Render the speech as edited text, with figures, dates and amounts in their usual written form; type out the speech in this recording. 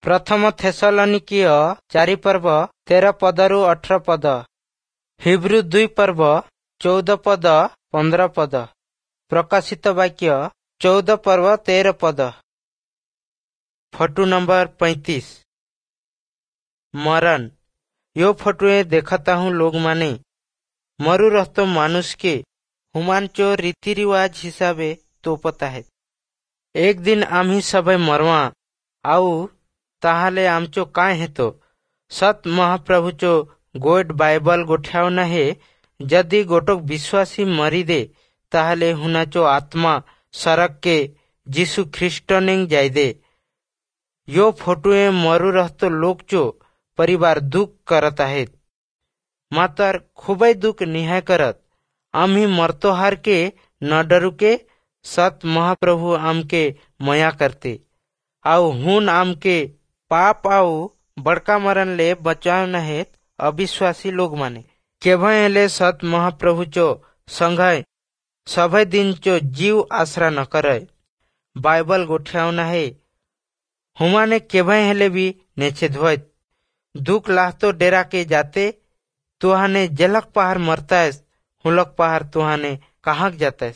ପ୍ରଥମ ଥେସଲନିକୀୟ 4 ପର୍ବ 13 ପଦରୁ 18 ପଦ, ହିବ୍ରୁ 2 ପର୍ବ 14 ପଦ 15 ପଦ, ପ୍ରକାଶିତ ବାକ୍ୟ 14 ପର୍ବ 13 ପଦ। Photo number 35। मरण। यो फोटुए देखता हूँ लोग माने मरु रहतो मानुष के हुमान चो रीति रिवाज हिसाबे तोपता है। एक दिन आम्ही सबै मरवा आउ ताहले आमचो काय हेतो। सत महाप्रभु चो गोट बाइबल गोठ्यावना हे, यदि गोटक विश्वासी मरी दे ताहले हुनाचो आत्मा सड़क के जीशु ख्रीष्ट नेंग जाय दे। यो फोटुए मरु रहतो लोक चो परिवार दुःख करत आहेत, मात्र खूबच दुःख निहाय करत। आम्ही मरतो हार के न डरुके सत महाप्रभु आमके मया करते आउ हुन आमके पाप आउ बड़का मरण ले बचाव नहेत अविश्वासी लोग माने केभले सत महाप्रभु चो संघय सभय दिन चो जीव आसरा न करे। बाइबल गोठ्यावना है हुमाने केभय हेले भी नेछे धोत दुख लाह तो डेरा के जाते तुहाने जलक पहाड़ मरता है हुलक पहाड़ तुहाने कहाँ जाता है।